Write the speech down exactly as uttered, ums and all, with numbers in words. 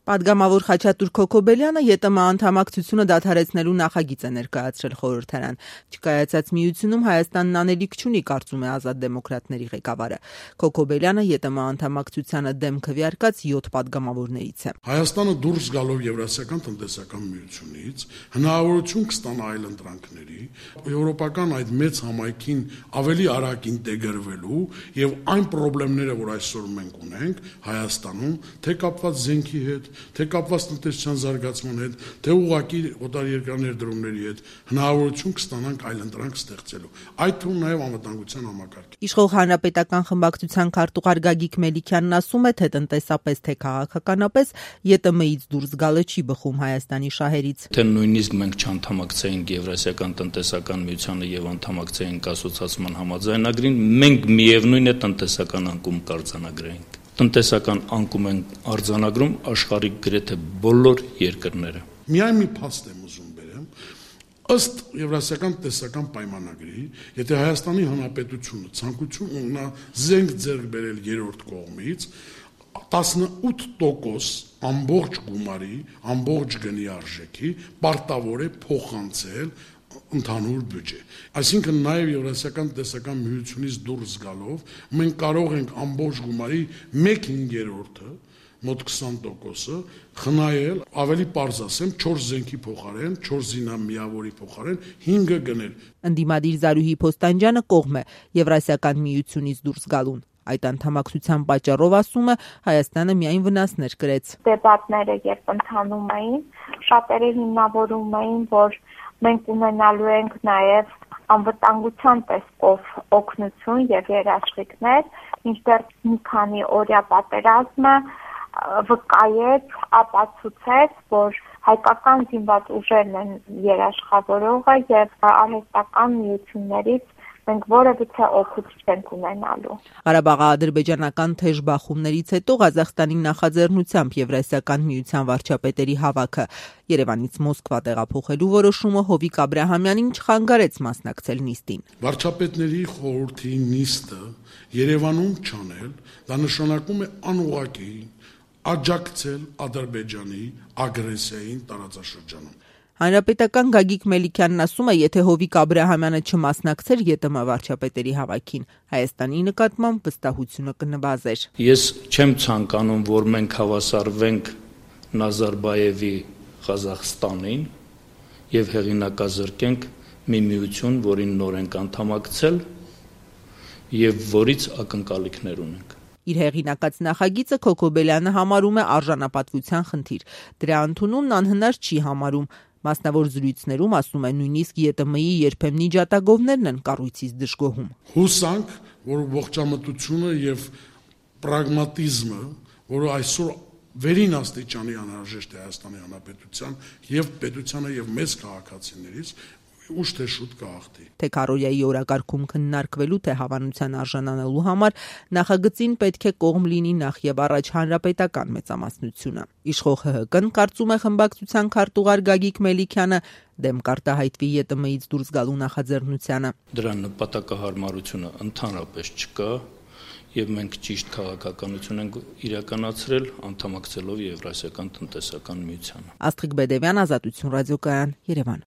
Պատգամավոր Խաչատուր Քոքոբելյանը ԵՏՄ անդամակցությունը դադարեցնելու նախագիծ է ներկայացրել խորհրդարան։ Չկայացած միությունում Հայաստանն անելիք չունի, կարծում է Ազատ դեմոկրատների ղեկավարը։ Քոքոբելյանը ԵՏՄ անդամակցությանը դեմ քվեարկած յոթ պատգամավորներից է։ Հայաստանը դուրս գալով Եվրասիական տնտեսական միությունից հնարավորություն կստանա այլընտրանքների, եվրոպական այդ մեծ համայնքին ավելի արագ ինտեգրվելու եւ այն խնդիրները, որ այսօր մենք ունենք Հայաստանում, թե կապված զենքի հետ, թե կապված տնտեսության զարգացման հետ, թե ուղղակի օտարերկրյա ներդրումների հետ հնարավորություն կստանանք այլընտրանք ստեղծելու։ Այդ թվում նաև անվտանգության համակարգ։ Իշխող հանրապետական խմբակցության քարտուղար Գագիկ Մելիքյանն ասում է, թե տնտեսապես, թե քաղաքականապես ԵՏՄ-ից դուրս գալը չի բխում Հայաստանի շահերից։ Թե նույնիսկ մենք չանդամակցեինք Եվրասիական տնտեսական միությանը եւ անդամակցեինք ասոցիացիան համաձայնագրին, մենք միևնույն է տնտեսական անկում կարձանագրեինք։ Տնտեսական անկում են արձանագրում աշխարհի գրեթե բոլոր երկրները։ Միայն մի փաստ եմ ուզում բերեմ, ըստ Եվրասիական տնտեսական պայմանագրի, եթե Հայաստանի Հանրապետությունը ցանկություն ունենա զենք ձեռք բերել երրորդ կողմից, տասնութ տոկոս ամբողջ գումարի, ամբողջ գնի արժեքի պարտավոր է փոխանցել ընդհանուր բյուջե։ Այսինքն նաև Եվրասիական տնտեսական միությունից դուրս գալով մենք կարող ենք ամբողջ գումարի մեկ հինգերորդը, մոտ քսան տոկոսը խնայել, ավելի պարզ ասեմ, չորս զենքի փոխարեն, չորս զինամիավորի փոխարեն հինգը գնել։ Ընդդիմադիր Զարուհի Փոստանջյանը կողմ է Եվրասիական միությունից դուրս գալուն։ Այդ անդամակցության պատճառով, ասում է, Հայաստանը միայն վնասներ կրեց։ Դեպատները երբ ընթանում էին, շատերը հիմնավորում էին, որ մենք ունենալու ենք նաև անվտանգության տեսքով օգնություն եւ երաշխիքներ, ինչտեղ մի քանի օրյա պատերազմը վկայեց, ապացուցեց, որ հայկական զինված ուժերն են երաշխավորողը եւ արհեստական միություններից մենք որևիցե օգուտ չենք ունենալու։ Ղարաբաղի-ադրբեջանական թեժ բախումներից հետո Ղազախստանի նախաձեռնությամբ Եվրասիական միության վարչապետերի հավաքը Երևանից Մոսկվա տեղափոխելու որոշումը Հովիկ Աբրահամյանին չխանգարեց մասնակցել նիստին։ Վարչապետների խորհրդի նիստը Երևանում չանել, դա նշանակում է անուղղակի աջակցել Ադրբեջանի ագրեսիային տարածաշրջանում։ Հանրապետական Գագիկ Մելիքյանն ասում է, եթե Հովիկ Աբրահամյանը չմասնակցեր ԵՏՄ վարչապետերի հավաքին, Հայաստանի նկատմամբ վստահությունը կնվազեր։ Ես չեմ ցանկանում, որ մենք հավասարվենք Նազարբայևի Ղազախստանին եւ հեղինակազրկենք մի միություն, որին նոր ենք անդամակցել եւ որից ակնկալիքներ ունենք։ Իր հեղինակած նախագիծը Քոքոբելյանը համարում է արժանապատվության խնդիր։ Դրա ընդունումն անհնար չի համարում։ Մասնավոր զրույցներում, ասում է, նույնիսկ ԵՏՄ-ի երբեմնի ջատագովներն են կառույցից դժգոհում։ Հուսանք, որ ողջամտությունը եւ պրագմատիզմը, որը այսօր վերին աստիճանի անհրաժեշտ է Հայաստանի Հանրապետության եւ պետությանը եւ մեծ քաղաքացիներից, ուշ թե շուտ կհաղթի։ Թե քարոզիայի օրակարգում քննարկվելու, թե հավանության արժանանալու համար նախագծին պետք է կողմ լինի նախ եւ առաջ հանրապետական մեծամասնությունը։ Իշխող ՀՀԿ-ն, կարծում է խմբակցության քարտուղար Գագիկ Մելիքյանը, դեմ կարտահայտվի ԵՏՄ-ից դուրս գալու նախաձեռնությանը։ Դրա նպատակահարմարությունը ընդհանրապես չկա եւ մենք ճիշտ քաղաքականություն ենք իրականացրել անդամակցելով Եվրասիական տնտեսական միությանը։ Աստղիկ Բեդևյան, Ազատություն ռադիոկայան, Երևան։